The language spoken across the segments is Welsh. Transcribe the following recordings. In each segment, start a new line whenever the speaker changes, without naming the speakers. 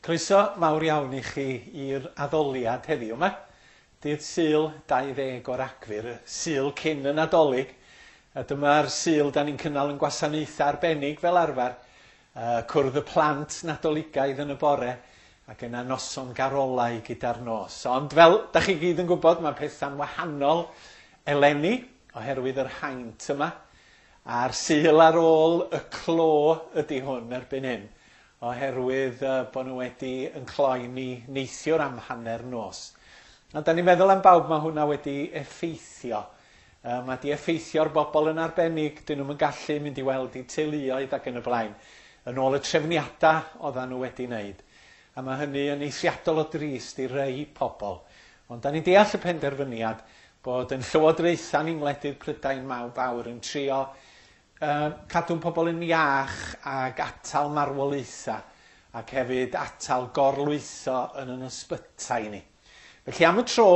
Croeso mawr iawn i chi i'r addoliad heddiw yma. Dydd Sul 20 o Ragfyr, y Sul cyn y Nadolig. A dyma'r Sul da ni'n cynnal yn gwasanaethau arbennig fel arfer. Cwrdd y plant Nadoligaidd yn y bore ac yna noson garolau gyda'r nos. Ond fel da chi gyd yn gwybod, mae pethau'n wahanol eleni oherwydd yr haint yma. A'r Sul ar ôl y clo ydy hwn erbyn hyn, oherwydd bod nhw wedi yn cloi ni neithiwr am hanner nos. A da ni'n meddwl am bawb mae hwnna wedi effeithio. Mae di effeithio'r bobl yn arbennig, dyn nhw'm yn gallu mynd i weld eu teuluoedd ac yn y blaen, yn ôl y trefniadau oeddan nhw wedi wneud. A mae hynny yn eithriadol o drist i rei pobl. Ond da ni'n deall y penderfyniad bod yn llywodraethau ni'n ngwledydd Prydain mawr fawr yn trio cadw'n pobl yn iach ac atal marwolaethau ac hefyd atal gorlwytho yn yn ysbytai ni. Felly am y tro,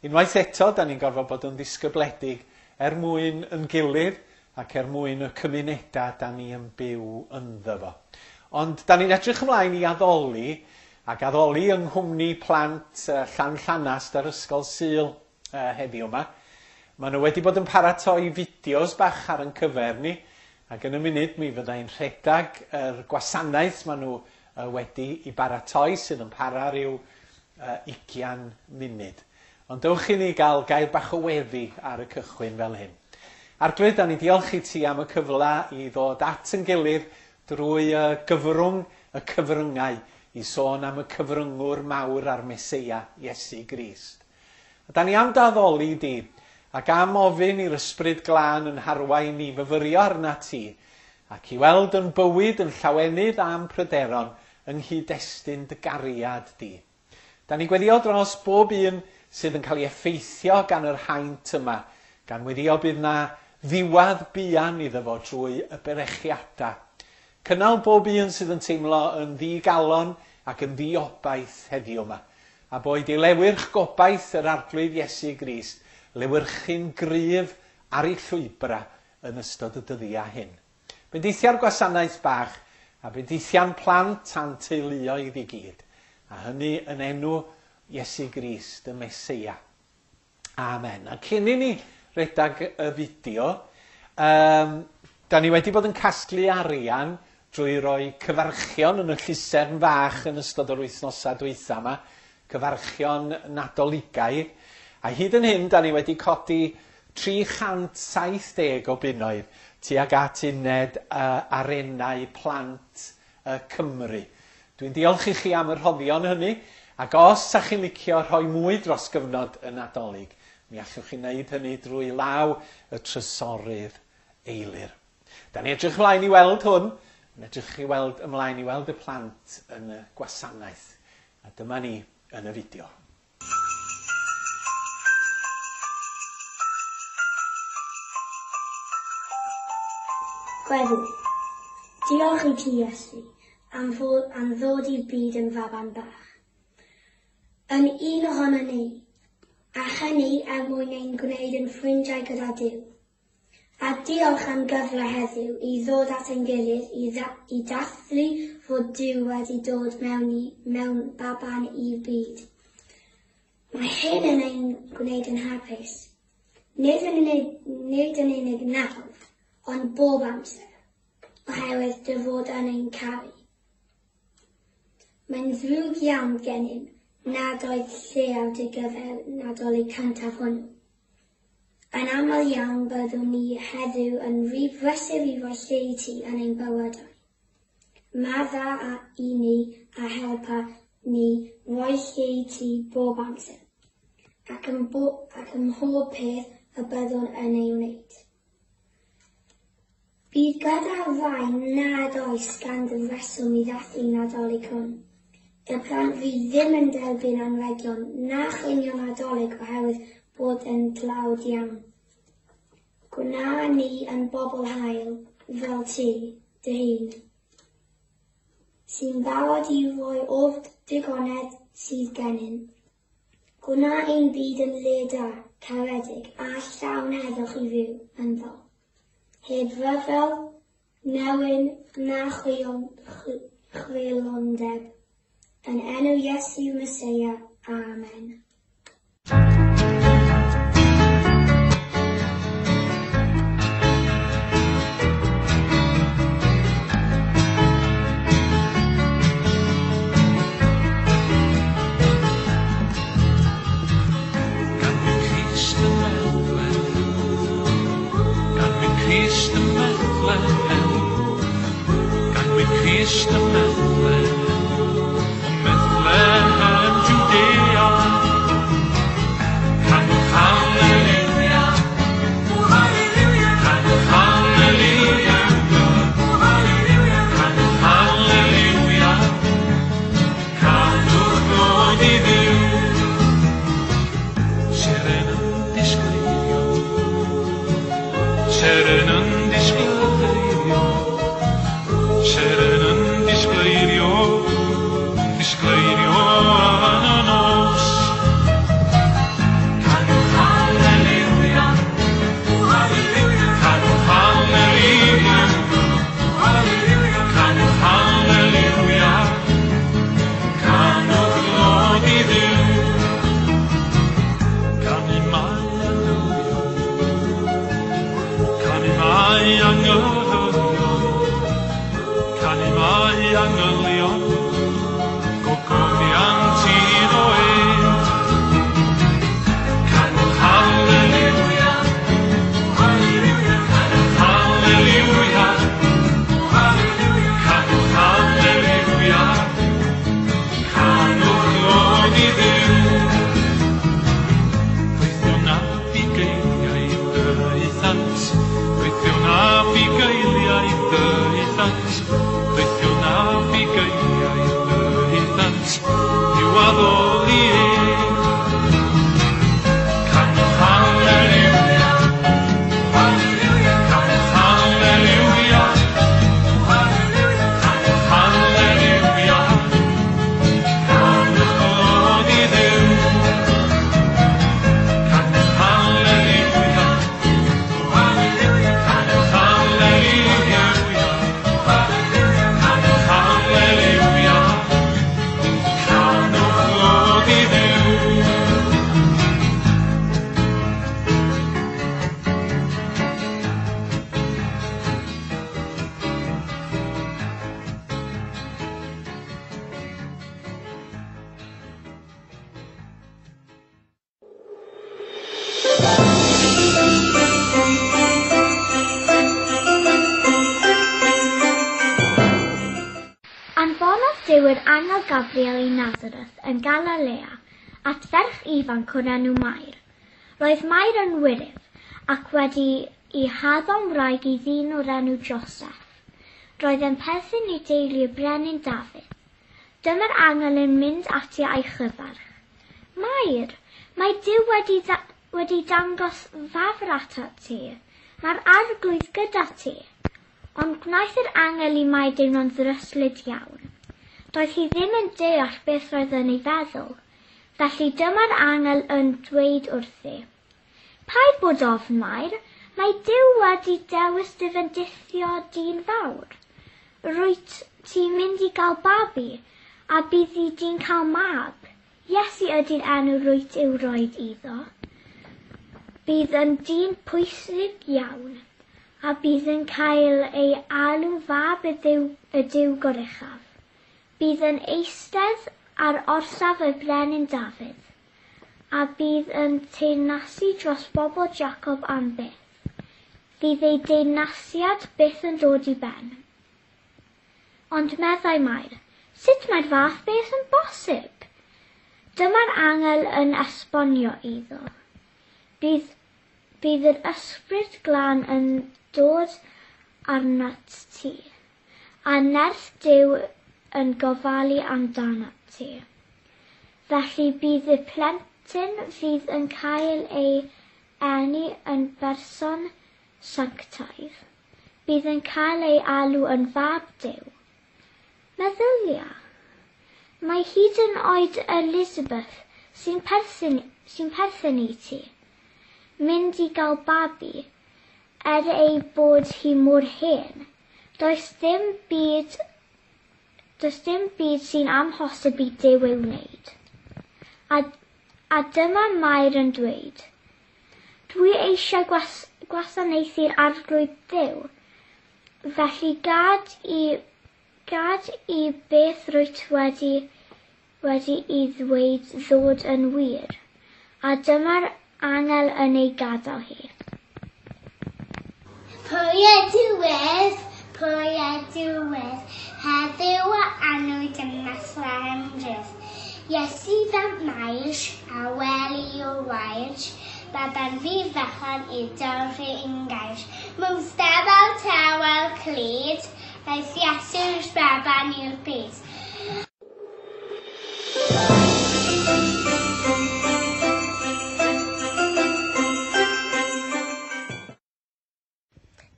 unwaith eto, da ni'n gorfod bod yn ddisgybledig er mwyn yn gilydd ac er mwyn y cymunedau da ni yn byw ynddo fo. Ond da ni'n edrych ymlaen i addoli, ac addoli yng nghwmni plant Llanllanast ar Ysgol Sul heddiw yma. Maen nhw wedi bod yn paratoi fideos bach ar yn cyfer ni, ac yn y munud mi fyddai'n rhedeg yr gwasanaeth maen nhw wedi i baratoi sydd yn para rhyw 20 munud. Ond dewch i ni gael gair bach o weddi ar y cychwyn fel hyn. Arglwydd, da ni'n diolch i ti am y cyfle i ddod at yn gilydd drwy y gyfrwng y cyfryngau i sôn am y cyfryngwr mawr a'r Meseia, Iesu Grist. A da ni am dy addoli di, ac am ofyn i'r Ysbryd Glân yn harwain ni fyfyrio arnat ti, ac i weld yn bywyd yn llawenydd a'n pryderon yng nghyd-destun dy gariad di. Da ni'n gweddio dros bob un sydd yn cael ei effeithio gan yr haint yma, gan weddio bydd na ddiwadd buan iddo fo drwy y berechiadau. Cynnal bob un sydd yn teimlo yn ddi-galon ac yn ddi-obaith heddiw yma, a boed i lewyrch gobaith yr Arglwydd Iesu Grist lewyrchu'n gryf ar eu llwybrau yn ystod y dyddiau hyn. Bendithia'r gwasanaeth bach, a bendithia'n plant a'n teuluoedd i gyd, a hynny yn enw Iesu Grist y Meseia. Amen. A cyn i ni redag y fideo, um, da ni wedi bod yn casglu arian drwy roi cyfarchion yn y llusern fach yn ystod yr wythnosau dwytha yma, cyfarchion Nadoligaidd, a hyd yn hyn da ni wedi codi 370 o bunnoedd tuag at uned arenau plant Cymru. Dwi'n diolch i chi am y rhoddion hynny, ac os 'sa chi'n licio rhoi mwy dros gyfnod y Nadolig, mi allwch chi wneud hynny drwy law y Trysorydd Eilir. Da ni'n edrych ymlaen i weld hwn, yn edrych i weld ymlaen i weld y plant yn y gwasanaeth. A dyma ni yn y fideo.
Gweddi. Diolch i ti, Iesu, am, fod, am ddod i'r byd yn faban bach. Yn un ohono ni, a hynny er mwyn ein gwneud yn ffrindiau gyda Duw. A diolch am gyfle heddiw i ddod at ein gilydd i, i dathlu fod Duw wedi dod mewn, i, mewn baban i'r byd. Mae hyn yn ein gwneud yn hapus. Nid yn unig, nid yn unig nawr, ond bob amser, oherwydd dy fod yn ein caru. Mae'n ddrwg iawn gennym nad oedd lle ar dy gyfer Nadolig cyntaf hwnnw. Yn aml iawn byddwn ni heddiw yn rhy brysur i roi lle i ti yn ein bywydau. Madda a i ni a helpa ni roi lle i ti bob amser, ac ym, bo, ac ym mhob peth y byddwn yn ei wneud. Bydd gyda rhai nad oes ganddo reswm i ddathlu Nadolig hwn. Y plant fydd ddim yn derbyn anrhegion na chinio Nadolig oherwydd bod yn dlawd iawn. Gwna ni yn bobl hael, fel ti, dy hun, sy'n barod i roi o'r digonedd sydd gennym. Gwna ein byd yn le da, caredig a llawn heddwch i fyw ynddo. Heb ryfel, newyn na chreulondeb. Yn enw Iesu Meseia. Amen.
Ganwyd Crist yn Bethlehem, ganwyd Crist yn Bethlehem, ganwyd Crist yn Bethlehem, yn Bethlehem Judea. Canwch hallelujah, canwch hallelujah, canwch hallelujah, canwch glod i Dduw. Seren yn disgleirio, seren yn disgleirio, seren yn disgleirio, disgleirio yn y nos. Canwch hallelujah, canwch hallelujah, canwch hallelujah, canwch glod i Dduw. Canu mae angylion, canu mae angylion, canu mae angylion, gogoniant iddo ef. Canwch hallelujah, canwch hallelujah, canwch hallelujah, canwch glod i Dduw. Gweithio na bugeiliaid daethant, gweithio na bugeiliaid daethant, gweithio na bugeiliaid daethant, i'w addoli ef. Canwch hallelujah, canwch hallelujah, canwch hallelujah, canwch glod i Dduw. Canwch hallelujah, canwch hallelujah, canwch hallelujah, canwch glod i Dduw.
Anfonodd Duw yr angel Gabriel i Nazareth yn Galilea at ferch ifanc o'r enw Mair. Roedd Mair yn wyryf ac wedi ei haddo'n wraig i ddyn o'r enw Joseph. Roedd yn perthyn i deulu y brenin Dafydd. Dyma'r angel yn mynd ati a'i chyfarch. Mair, mae Duw wedi dangos fafr atat ti. Mae'r arglwydd gyda ti. Ond gwnaeth yr angel i Mair deimlo'n ddryslyd iawn. Doedd hi ddim yn deall beth roedd yn ei feddwl. Felly dyma'r angel yn dweud wrthi. Paid bod ofn, Mair, mae Duw wedi dewis dy fendithio di'n fawr. Rwyt ti'n mynd i gael babi, a bydd di'n cael mab. Iesu ydy'r enw rwyt i'w roed iddo. Bydd yn dyn pwysig iawn, a bydd yn cael ei alw fab y Duw Goruchaf. Bydd yn eistedd ar orsaf y brenin Dafydd, a bydd yn teyrnasu dros bobl Jacob am byth. Fydd ei deyrnasiad byth yn dod i ben. Ond meddai Mair, sut mae'r fath beth yn bosib? Dyma'r angel yn esbonio iddo. Bydd yr ysbryd glân yn dod arnat ti, a nerth Duw yn gofalu amdanat ti. Felly bydd y plentyn fydd yn cael ei eni yn berson sanctaidd. Bydd yn cael ei alw yn fab Duw. Meddylia, mae hyd yn oed Elizabeth sy'n perthyn i ti, mynd i gael babi, er ei bod hi mor hen. Does dim byd Does dim byd sy'n amhosib i Duw ei wneud. A, a dyma Mair yn dweud, Dwi eisiau gwas gwasanaethu'r arglwydd Dduw, felly gad i, gad i beth rwyt wedi, wedi i ddweud ddod yn wir. A dyma'r angel yn ei gadael hi.
Pwy ydw pwy ydw heddiw a annwyd ym Methlehem Dref. Iesu fab Mair a weli o wair, baban fi fechan i dorri ungair. Mewn stafell tawel clyd, daeth Iesu'r baban i'r byd.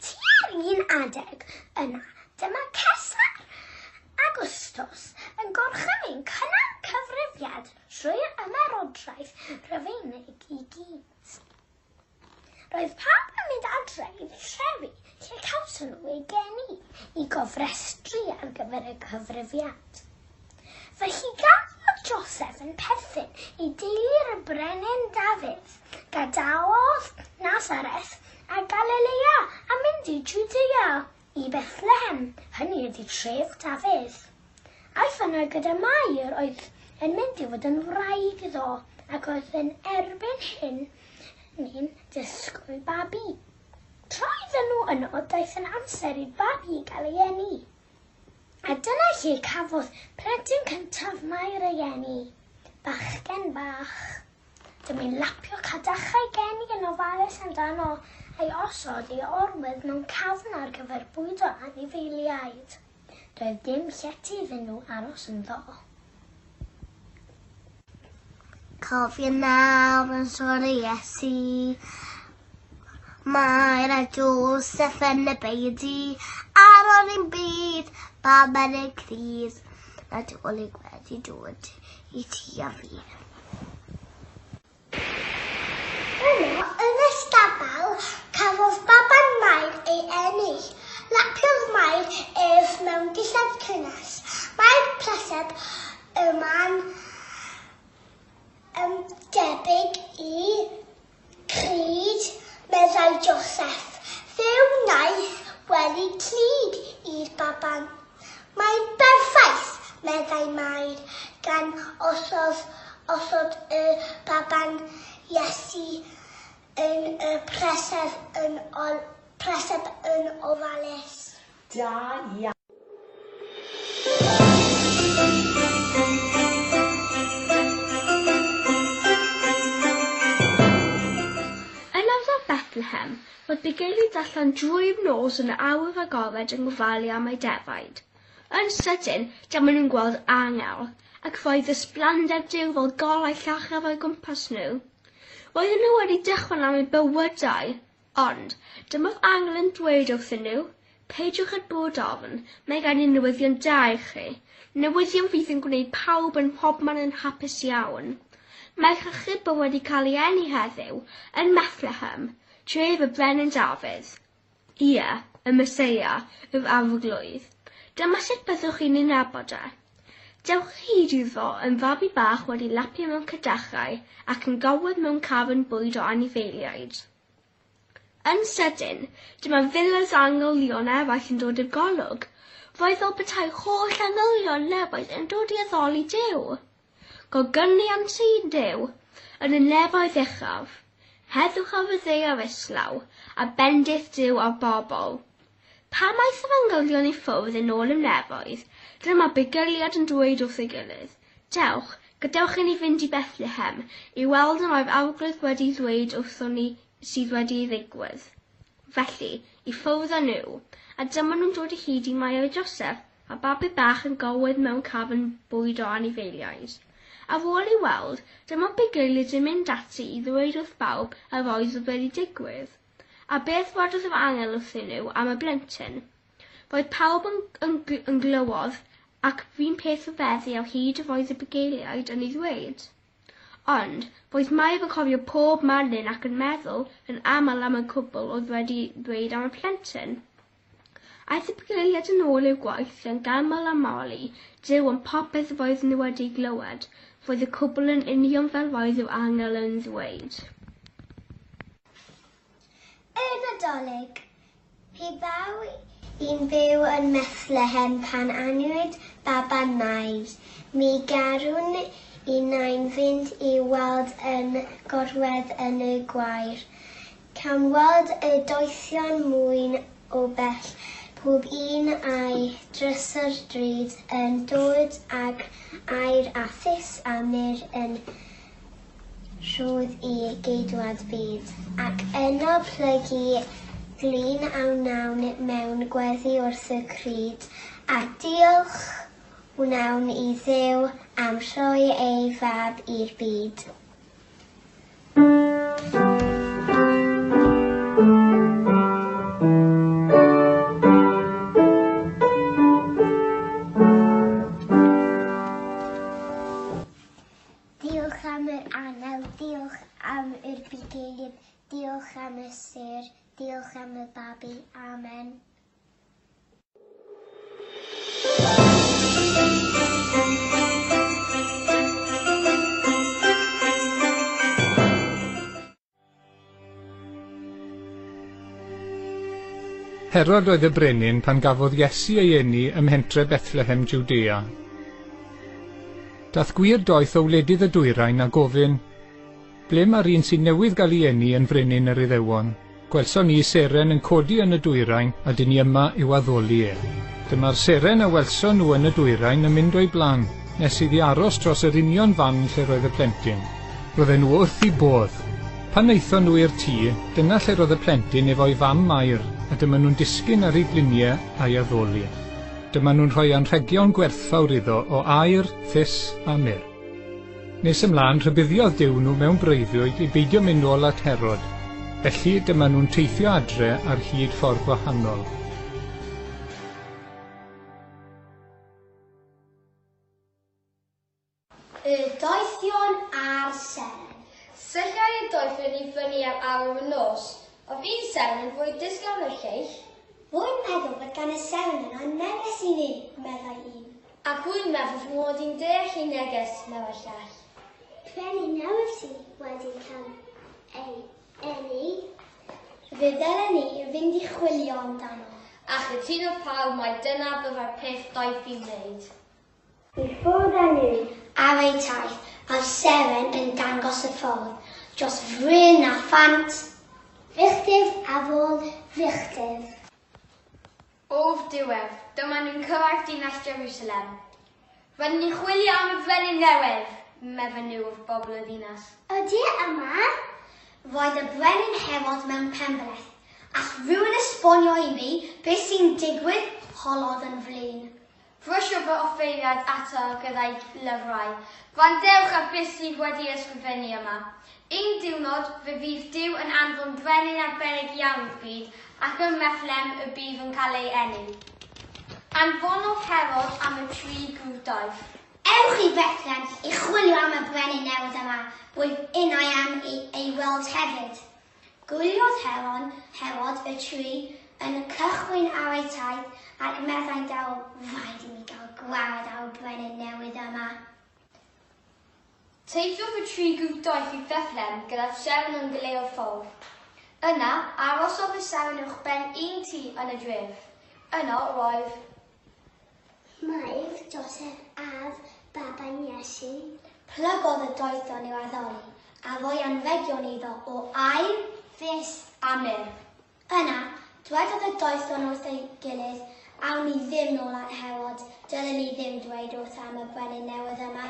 Tua'r un adeg yna, dyma Cesar Augustus yn gorchymyn cynnal cyfrifiad trwy'r ymerodraeth Rufeinig i gyd. Roedd pawb yn mynd adre i'w trefi lle cawson nhw eu geni i gofrestru ar gyfer y cyfrifiad. Felly gan fod Joseph yn perthyn i deulu'r brenin Dafydd, gadawodd Nazareth a Galilea a mynd i Judea i Bethlehem, hynny ydy tref Dafydd. Aeth yno gyda Mair oedd yn mynd i fod yn wraig iddo ac oedd yn erbyn hyn ni'n disgwyl babi. Tra oedden nhw yno, daeth yn amser i'r babi gael ei eni. A dyna lle cafodd plentyn cyntaf Mair ei eni, bachgen bach. Dyma'n lapio cadachau geni yn ofalus amdano a'i osod i orwedd mewn cafn ar gyfer bwydo anifeiliaid. Doedd dim llety iddyn nhw aros ynddo.
Cofio nawr yn sôn i Iesu, Mair a Joseph yn y beudy, ar ôl ein byd, bawb yn y crydd, Nadolig wedi dod i ti a fi.
Yno, yn y stabal, cafodd baban Mair ei eni. Lapiodd Mair ef mewn dillad cynnes. Mae'r preseb yma'n yn debyg i crud, meddai Joseph. Fe wnaeth wely clyd i'r baban. Mae'n berffaith, meddai Mair, gan osod, osod y baban Iesu yn y preseb yn, ol, preseb yn ofalus.
Da iawn.
Yn ardal Bethlehem, roedd bugeiliaid allan drwy'r nos yn y awyr agored yn gofalu am eu defaid. Yn sydyn, dyma nhw'n gweld angel, ac roedd ysblander Duw fel golau llachar o'i gwmpas nhw. Roedden nhw wedi dychryn am eu bywydau, ond dyma'r angel yn dweud wrthyn nhw, peidiwch â bod ofn, mae gen i newyddion da i chi. Newyddion fydd yn gwneud pawb yn mhobman yn hapus iawn. Mae'r achubwr wedi cael ei eni heddiw yn Bethlehem, tref y Brenin Dafydd. Ie, y Meseia, yr arglwydd. Dyma sut byddwch chi'n ei nabod e. Dewch hyd iddo yn fabi bach wedi lapio mewn cadachau ac yn gorwedd mewn cafn bwyd o anifeiliaid. Yn sydyn, dyma filoedd o angylion eraill yn dod i'r golwg. Roedd fel petai holl angylion nefoedd yn dod i addoli Duw. Gogyniant i Duw yn y nefoedd uchaf, heddwch ar y ddaear islaw, a bendith Duw ar bobl. Pan aeth yr angylion i ffwrdd yn ôl i'r nefoedd, dyma bugeiliaid yn dweud wrth ei gilydd, Dewch, gadewch i ni fynd i Bethlehem, i weld y mae'r arglwydd wedi ddweud wrthon ni sydd wedi ei ddigwydd. Felly, i ffwrdd â nhw, a dyma nhw'n dod o hyd i Mair a Joseph, a babi bach yn gorwedd mewn cafn bwyd o anifeiliaid. Ar ôl ei weld, dyma bugeiliaid yn mynd ati i ddweud wrth bawb yr oedd wedi digwydd. A beth wedodd yr angel wrthyn nhw am y blentyn? Roedd pawb yn, yn, yn glywodd ac un peth o feddu ar hyd yr oedd y bugeiliaid yn ei ddweud. Ond, roedd Mair yn cofio pob manyn ac yn meddwl yn aml am y cwbl oedd wedi ddweud am y plentyn. Aeth y bugeiliaid yn ôl i'w gwaith yn ganmol a moli Duw am popeth roedd nhw wedi glywed. Roedd y cwbl yn union fel roedd yr angel yn ddweud.
Y Nadolig. Pe baw i'n byw yn Methlehem pan anwyd baban Mair, mi garwn innau'n fynd i'w weld yn gorwedd yn y gwair. Cawn weld y doethion mwyn o bell, pob un a'i drysor drud yn dod ag aur a thus a myrr yn rhodd i geidwad byd. Ac yno plygu glin a wnawn mewn gweddi wrth y crud, a diolch wnawn i Dduw am rhoi ei fab i'r byd. Diolch am yr angel, diolch am yr bugeiliad, diolch am y sêr, diolch am y babi. Amen.
Herod oedd y brenin pan gafodd Iesu ei eni ym mhentre Bethlehem, Jwdea. Dath gwir doeth o wledydd y dwyrain a gofyn, Ble mae'r un sy'n newydd gael ei eni yn frenin yr Iddewon? Gwelson ni seren yn codi yn y dwyrain a dyn ni yma i'w addoli e. Dyma'r seren a welson nhw yn y dwyrain yn mynd o'i blaen, nes iddi aros dros yr union fan lle roedd y plentyn. Roedden nhw wrth eu bodd. Pan aethon nhw i'r tŷ, dyna lle roedd y plentyn efo'i fam Mair, a dyma nhw'n disgyn ar eu gliniau a'i addoli. Dyma nhw'n rhoi anrhegion gwerthfawr iddo o aur, thus a myrr. Nes ymlaen, rhybuddiodd Duw nhw mewn breuddwyd i beidio mynd nôl at Herod. Felly, dyma nhw'n teithio adre ar hyd ffordd wahanol.
Y doethion a'r seren.
Sylliai y doethion i fyny ar awr y nos. Oedd un seren yn fwy disglair na'r lleill.
Rwy'n meddwl bod gan y seren yna neges i ni, meddai un.
Ac rwy'n meddwl fy mod i'n deall ei neges, meddai'r llall.
Brenin newydd sydd wedi cael ei eni. Fe ddylen ni fynd i chwilio amdano.
A chytunodd pawb mai dyna byddai'r peth doeth i'w wneud.
I ffwrdd â nhw ar eu taith, a'r seren yn dangos y ffordd dros fryn a phant, filltir ar ôl filltir.
O'r diwedd, dyma nhw'n cyrraedd dinas Jerusalem. Rydyn ni'n chwilio am y brenin newydd, medden nhw wrth bobl y ddinas.
Ydy e yma? Roedd y brenin Herod mewn penbleth. All rhywun esbonio i mi beth sy'n digwydd? holodd yn flin.
Brysiodd fy offeiriad ato gyda'i lyfrau. Gwrandewch ar beth sydd wedi ysgrifennu yma. Un diwrnod, fe fydd Duw yn anfon brenin arbennig iawn i'r byd, ac ym Methlehem y bydd yn cael ei eni. Anfonodd Herod am y tri gwrdaith.
Ewch i Bethlehem i chwilio am y brenin newydd yma, rwyf innau am ei weld hefyd. Gwyliodd Heron, Herod, y tri yn cychwyn ar eu taith ac meddai'n dawel, Rhaid i mi gael gwared ar y brenin newydd yma.
Teithiodd y tri grŵp doeth i Fethlehem gyda'r seren yn goleuo'r ffordd. Yna, arhosodd y seren uwchben un tŷ yn y dref. Yno roedd.
Mair, Joseph a'r baban Iesu.
Plygodd y doethion i'w addoli, a rhoi anrhegion iddo o aur, fus a myrr. Yna, dwedodd y doethion wrth ei gilydd, Awn ni ddim nôl at Herod, dylen ni ddim dweud wrth am y brenin newydd yma.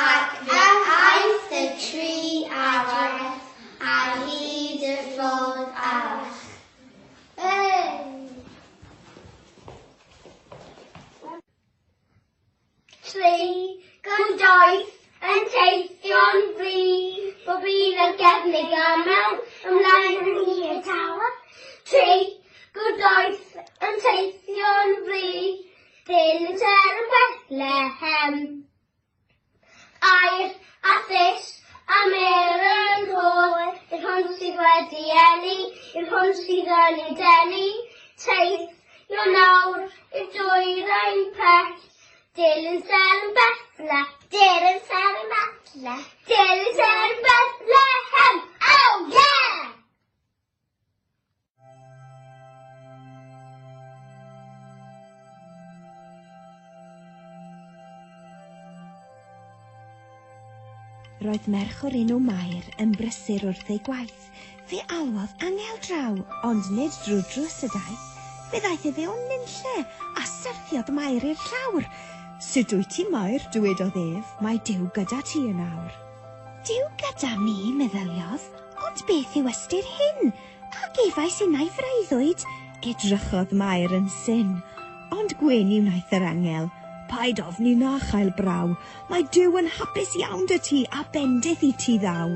Ac fe aeth y tri adref ar hyd y ffordd arall.
Tri gan daith yn teithio'n fri, bob un ar gefn ei gamel, ymlaen yn hir y tawel. Tri gwrdaith yn teithio'n fri, ddyn yn ser yn Bethlehem. Aur a thus a myrrh yn rhodd, i'r hwn sydd wedi eni, i'r hwn sydd yn ei denu.
Teithio nawr i'r dwyrain pell. Dilyn seren Bethle, dilyn seren Bethle, dilyn seren Bethlehem. Oh yeah!
Roedd merch o'r enw Mair yn brysur wrth ei gwaith. Fe alwodd angel draw, ond nid drwy drws y daith. Fe ddaeth efe o nunlle, a syrthiodd Mair i'r llawr. Sut wyt ti, Mair? dywedodd ef, mae Duw gyda ti yn awr. Duw gyda mi, meddyliodd, ond beth yw ystyr hyn? A gefais innau freuddwyd? Edrychodd Mair yn syn. Ond gwenu wnaeth yr angel. Paid ofni na chael braw. Mae Duw yn hapus iawn 'da ti a bendith i ti ddaw.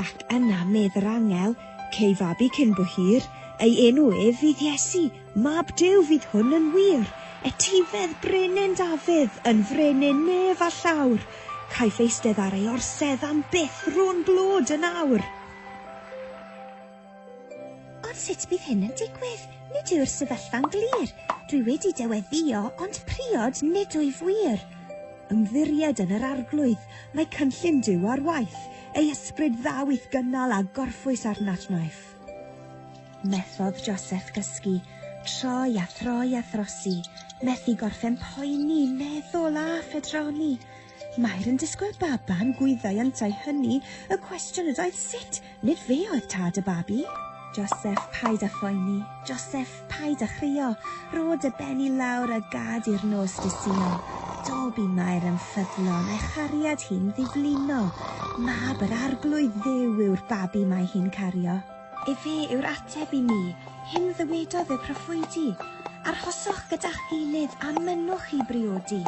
Ac yna medd yr angel, cei fabi cyn bo hir, ei enw ef fydd Iesu, mab Duw fydd hwn yn wir, etifedd brenin Dafydd, yn frenin nef a llawr, caiff eistedd ar ei orsedd am byth rhwng glod yn awr. Ond sut bydd hyn yn digwydd? Nid yw'r sefyllfa'n glir. Dwi wedi dyweddio, ond priod nid wyf wir. Ymddiried yn yr arglwydd, mae cynllun Duw ar waith, ei ysbryd ddaw i'th gynnal a gorffwys arnat wnaiff. Methodd Joseph gysgu, troi a throi a throsi, methu gorffen poeni, meddwl a phedroni. Mair yn disgwyl baban, gwyddai yntau hynny, y cwestiwn ydoedd sut, nid fe oedd tad y babi. Joseph, paid â phoeni. Joseph, paid â chrio. Rho dy ben i lawr a gad i'r nos disuo. Do bu Mair yn ffyddlon, a'i chariad hi'n ddiflino. Mab yr arglwydd Dduw yw'r babi mae hi'n cario. Efe yw'r ateb i mi, hyn ddywedodd y proffwydi. Arhoswch gyda'ch gilydd a mynnwch i briodi.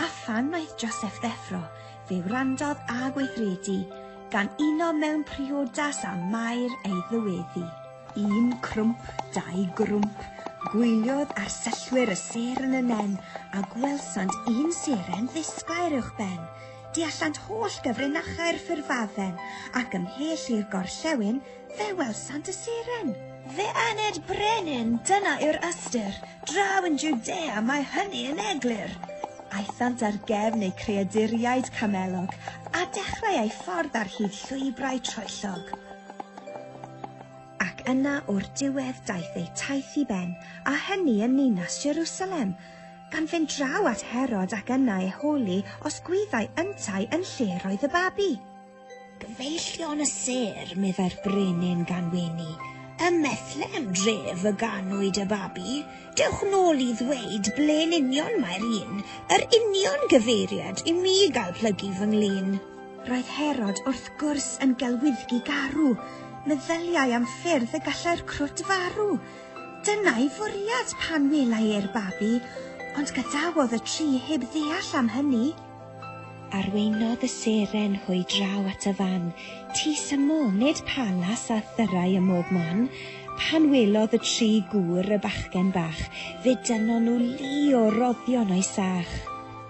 A phan wnaeth Joseph ddeffro, fe wrandodd a gweithredu, gan uno mewn priodas â Mair ei ddyweddi. Un crwmp, dau grwmp, gwyliodd arsyllwyr y sêr yn y nen, a gwelsant un seren ddisglair uwchben. Deallant holl gyfrinachau'r ffurfafen, ac ymhell i'r gorllewin, fe welsant y seren. Fe aned brenin, dyna yw'r ystyr, draw yn Jwdea mae hynny yn eglur. Aethant ar gefn eu creaduriaid camelog, a dechrau eu ffordd ar hyd llwybrau troellog. Ac yna o'r diwedd daeth eu taith i ben, a hynny yn ninas Jerusalem, gan fynd draw at Herod ac yna ei holi os gwyddai yntau yn lle roedd y babi. Gyfeillion y sêr, meddai'r brenin gan wenu, ym Methlehem dref y ganwyd y babi, dewch nôl i ddweud ble'n union mae'r un, yr union gyfeiriad i mi gael plygu fy nglin. Roedd Herod wrth gwrs yn gelwyddgi garw, meddyliai am ffyrdd y gallai'r crwt farw. Dyna'i fwriad pan welai e'r babi, ond gadawodd y tri heb ddeall am hynny. Arweinodd y seren hwy draw at y fan, tŷ syml, nid palas a thyrau ym mhob man. Pan welodd y tri gŵr y bachgen bach, fe dynnon nhw lu o roddion o'i sach.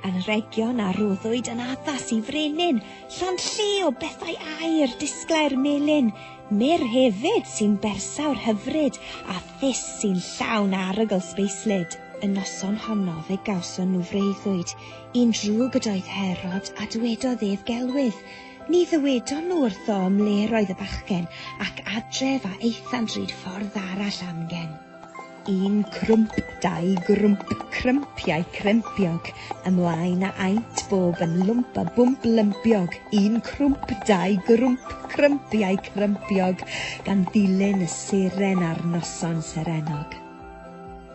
Anrhegion a roddwyd yn addas i frenin, llond lle o bethau aur, disglair melyn, myrr hefyd sy'n bersawr hyfryd, a thus sy'n llawn arogl sbeislyd. Y noson honno fe gawson nhw freuddwyd, un drwg ydoedd Herod, a dywedodd ef gelwydd. Ni ddywedon nhw wrtho ym mle roedd y bachgen, ac adref a aethant ryd ffordd arall amgen. Un crwmp, dau grwmp, crympiau crympiog, ymlaen a aent bob yn lwmp a bwmp lympiog. Un crwmp, dau grwmp, crympiau crympiog, gan ddilyn y seren ar noson serennog.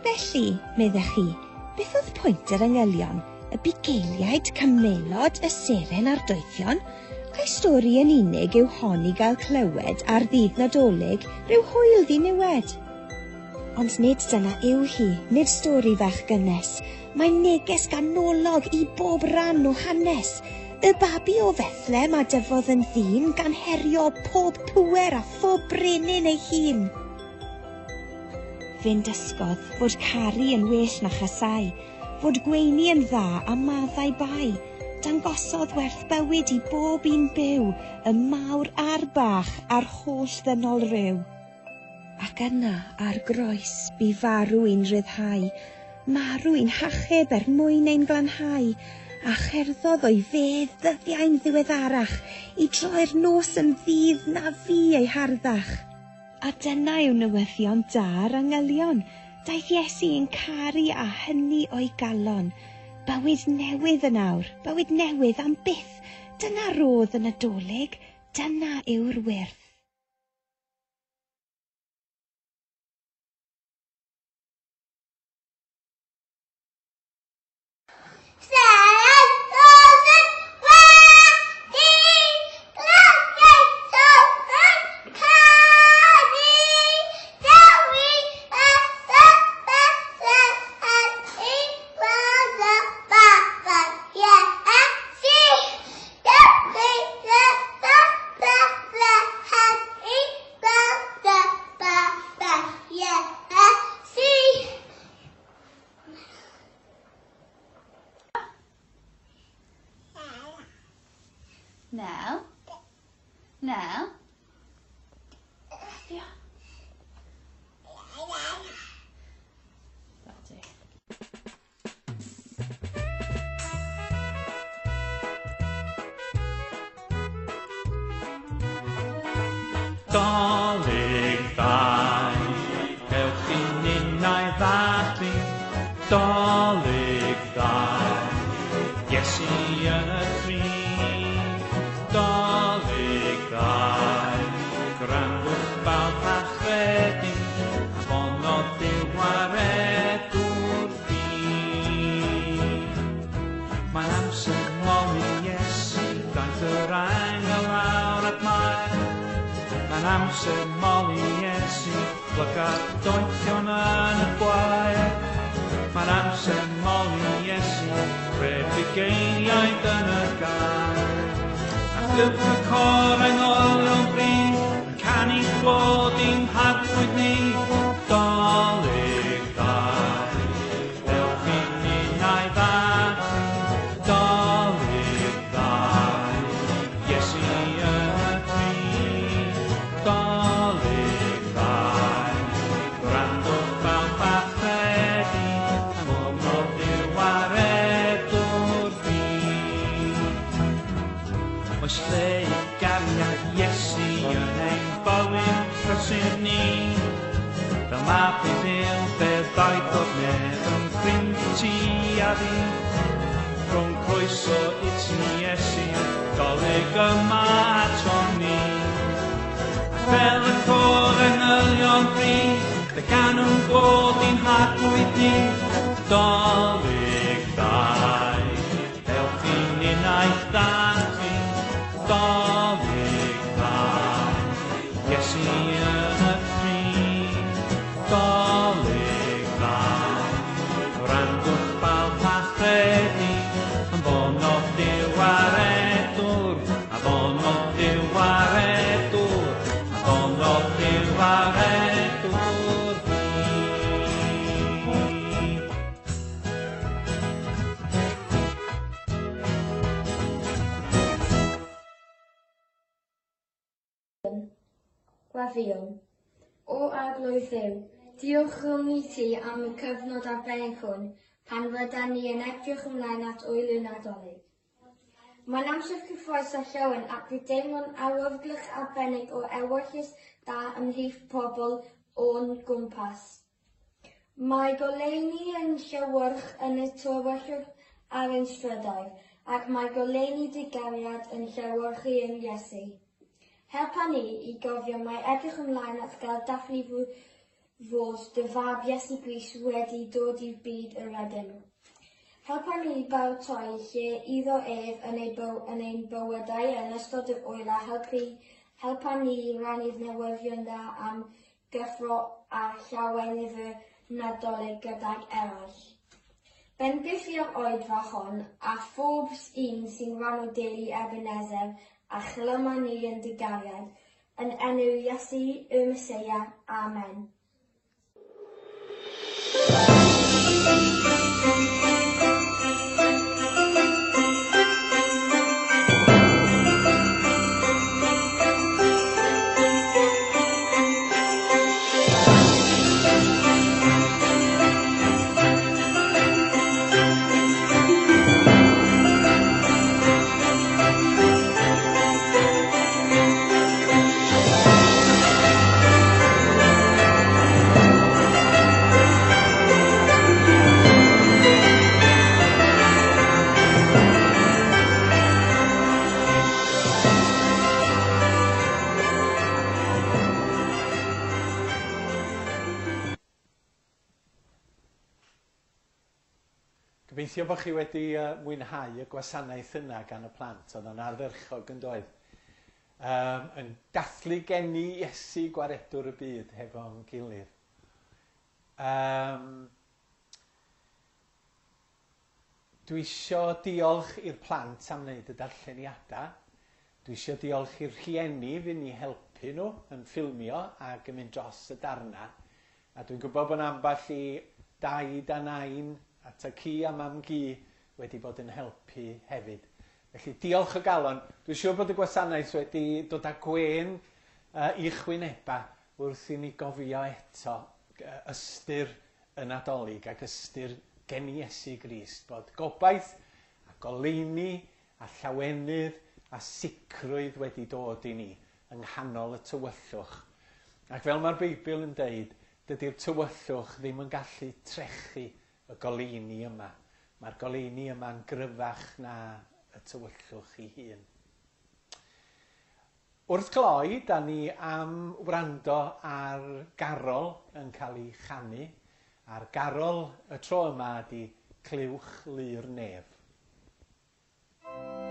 Felly, meddech chi, beth oedd pwynt yr angylion, y bugeiliaid, camelod, y seren a'r doethion? Ai stori yn unig yw hon i gael clywed ar ddydd Nadolig, rhyw hwyl ddiniwed? Ond nid dyna yw hi, nid stori fach gynnes. Mae'n neges ganolog i bob ran o hanes. Y babi o Fethlem a dyfodd yn ddyn gan herio pob pŵer a phob brenin ei hun. Fe'n dysgodd fod caru yn well na chasau, fod gweini yn dda a maddau bai. Dangosodd werth bywyd i bob un byw, y mawr a'r bach a'r holl ddynol ryw. Ac yna, ar groes, bu farw i'n rhyddhau, marw i'n hachub er mwyn ein glanhau, a cherddodd o'i fedd ddyddiau'n ddiweddarach i droi'r nos yn ddydd na fu ei harddach. A dyna yw newyddion da'r angylion, daeth Iesu yn caru a hynny o'i galon. Bywyd newydd yn awr, bywyd newydd am byth, dyna rodd y Nadolig, dyna yw'r wyrth.
Nel. Nel. Yeah. That'll do.
Dolig ddau, ewch i ninnau ddathlu. Dolig ddau, Iesu yn y crud. Dolig ddau, gwrandwch bawb a chredu, anfonodd Duw waredwr byd. Mae'n amser moli Iesu, daeth yr angel lawr at Mair. Mae'n amser moli Iesu, plyga'r doethion yn y gwair. Mae'n amser moli Iesu, cred bugeiliaid yn y gair. A clywch y côr angylion bri, yn canu clod i'n harglwydd ni. Dolig ddau, ewch i ninnau ddathlu. Dolig ddau, Iesu yn y crud. Dolig ddau, gwrandwch bawb a chredu, anfonodd Duw waredwr byd. Oes lle i gariad Iesu yn ein bywyd prysur ni, fel mab i Dduw fe ddaeth o'r nef yn ffrind i ti a fi. Rhwng croeso i ti Iesu, Dolig yma aton ni. Ac fel y côr angylion bri, fe ganwn glod i'n harglwydd ni. Dolig ddau, ewch i ninnau ddathlu. Dolig ddau, Iesu yn y crud. Dolig ddau, gwrandwch bawb a chredu, anfonodd Duw waredwr, anfonodd Duw waredwr, anfonodd Duw waredwr byd.
Gweddïwn. O Arglwydd Dduw, diolchwn i ti am y cyfnod arbennig hwn pan rydan ni yn edrych ymlaen at ŵyl y Nadolig. Mae'n amser cyffrous a llawen ac fe deimlo'n awyrgylch arbennig o ewyllys da ymhlith pobl o'n gwmpas. Mae goleuni yn llewyrch yn y tywyllwch ar ein strydoedd, ac mae goleuni dy gariad yn llewyrchu yn Iesu. Helpa ni i gofio mai edrych ymlaen at gael dathlu fod dy fab Iesu Grist wedi dod i'r byd yr ydym. Helpa ni i baratoi lle iddo ef yn ein bywydau yn ystod yr ŵyl a helpa ni i rannu'r newyddion da am gyffro a llawenydd y Nadolig gydag eraill. Bendithi'r oedfa hon a phob un sy'n rhan o deulu Ebenezer a chlyma ni yn dy gariad, yn enw Iesu y Meseia. Amen.
Gobeithio bod chi wedi mwynhau y gwasanaeth yna gan y plant, oedd o'n ardderchog yn doedd. Yn dathlu geni Iesu gwaredwr y byd hefo'n gilydd. Dwi isio diolch i'r plant am wneud y darlleniadau. Dwi isio diolch i'r rhieni fy ni helpu nhw yn ffilmio ac yn mynd dros y darna. A dwi'n gwybod bod ambell i daid a nain a ta-cu a mam-gu wedi bod yn helpu hefyd. Felly diolch o galon. Dwi'n siŵr bod y gwasanaeth wedi dod â gwên i'ch wyneba wrth i ni gofio eto ystyr y Nadolig ac ystyr geni Iesu Grist, bod gobaith a goleuni a llawenydd a sicrwydd wedi dod i ni yng nghanol y tywyllwch. Ac fel mae'r Beibl yn deud, dydy'r tywyllwch ddim yn gallu trechu y goleuni yma. Mae'r goleuni yma'n gryfach na y tywyllwch ei hun. Wrth gloi, da ni am wrando ar garol yn cael ei chanu, a'r garol y tro yma ydy Clywch Lu'r Nef.
Thank you.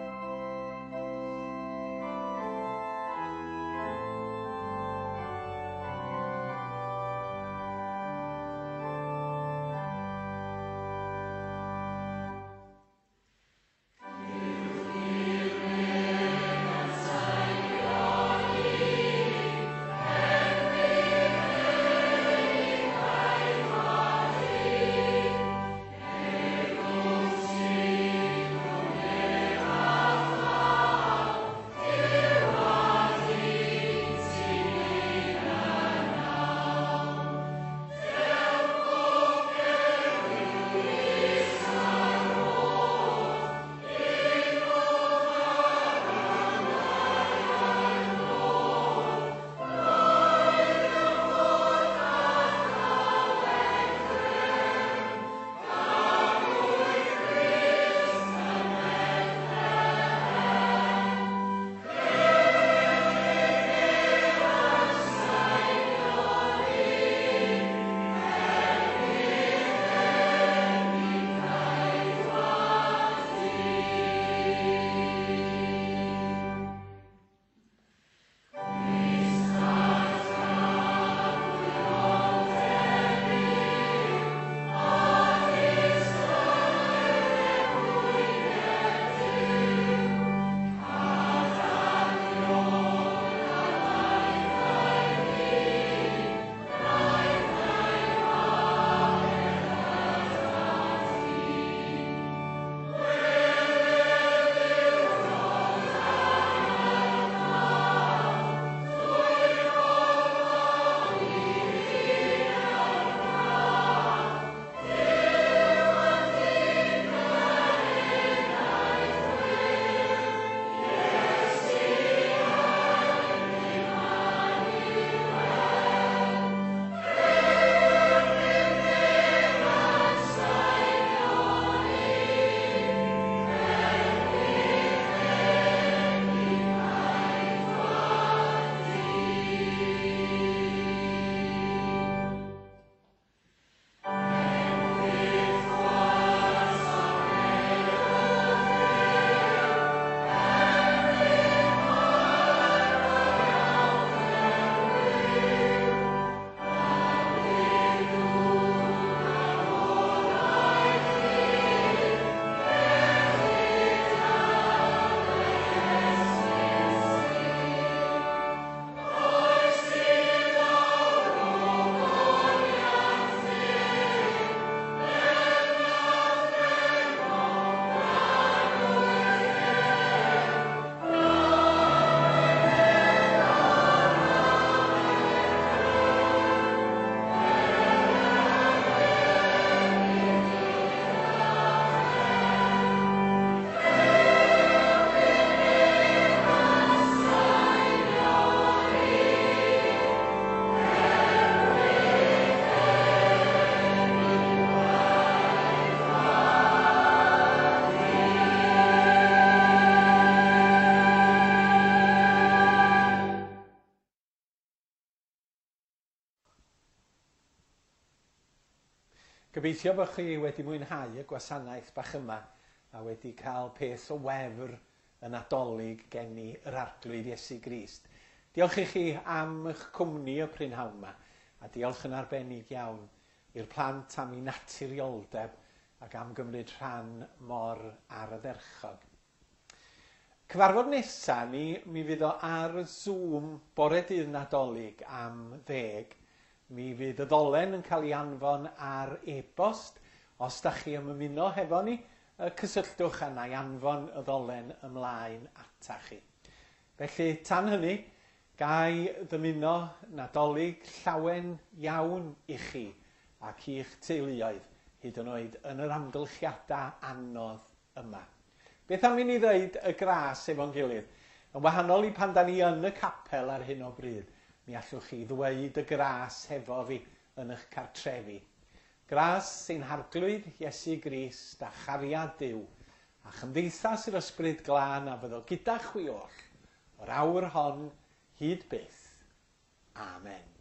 Gobeithio bod chi wedi mwynhau y gwasanaeth bach yma a wedi cael peth o wefr y Nadolig gen i yr Arglwydd Iesu Grist. Diolch i chi am eich cwmni y prynhawn yma a diolch yn arbennig iawn i'r plant am eu naturioldeb ac am gymryd rhan mor ardderchog. Cyfarfod nesa ni, mi fydd o ar Zoom bore dydd Nadolig am 10. Mi fydd y ddolen yn cael ei anfon ar e-bost. Os da chi am ymuno hefo ni, cysylltwch â na i anfon y ddolen ymlaen ata chi. Felly, tan hynny, gai ddymuno Nadolig llawen iawn i chi ac i'ch teuluoedd, hyd yn oed yn yr amgylchiadau anodd yma. Beth am i ni ddeud y gras efo'n gilydd? Yn wahanol i pan da ni yn y capel ar hyn o bryd, mi allwch chi ddweud y gras hefo fi yn eich cartrefi. Gras ein Harglwydd Iesu Grist a chariad Duw a chymdeithas yr Ysbryd Glân a fyddo gyda chwi oll o'r awr hon hyd byth. Amen.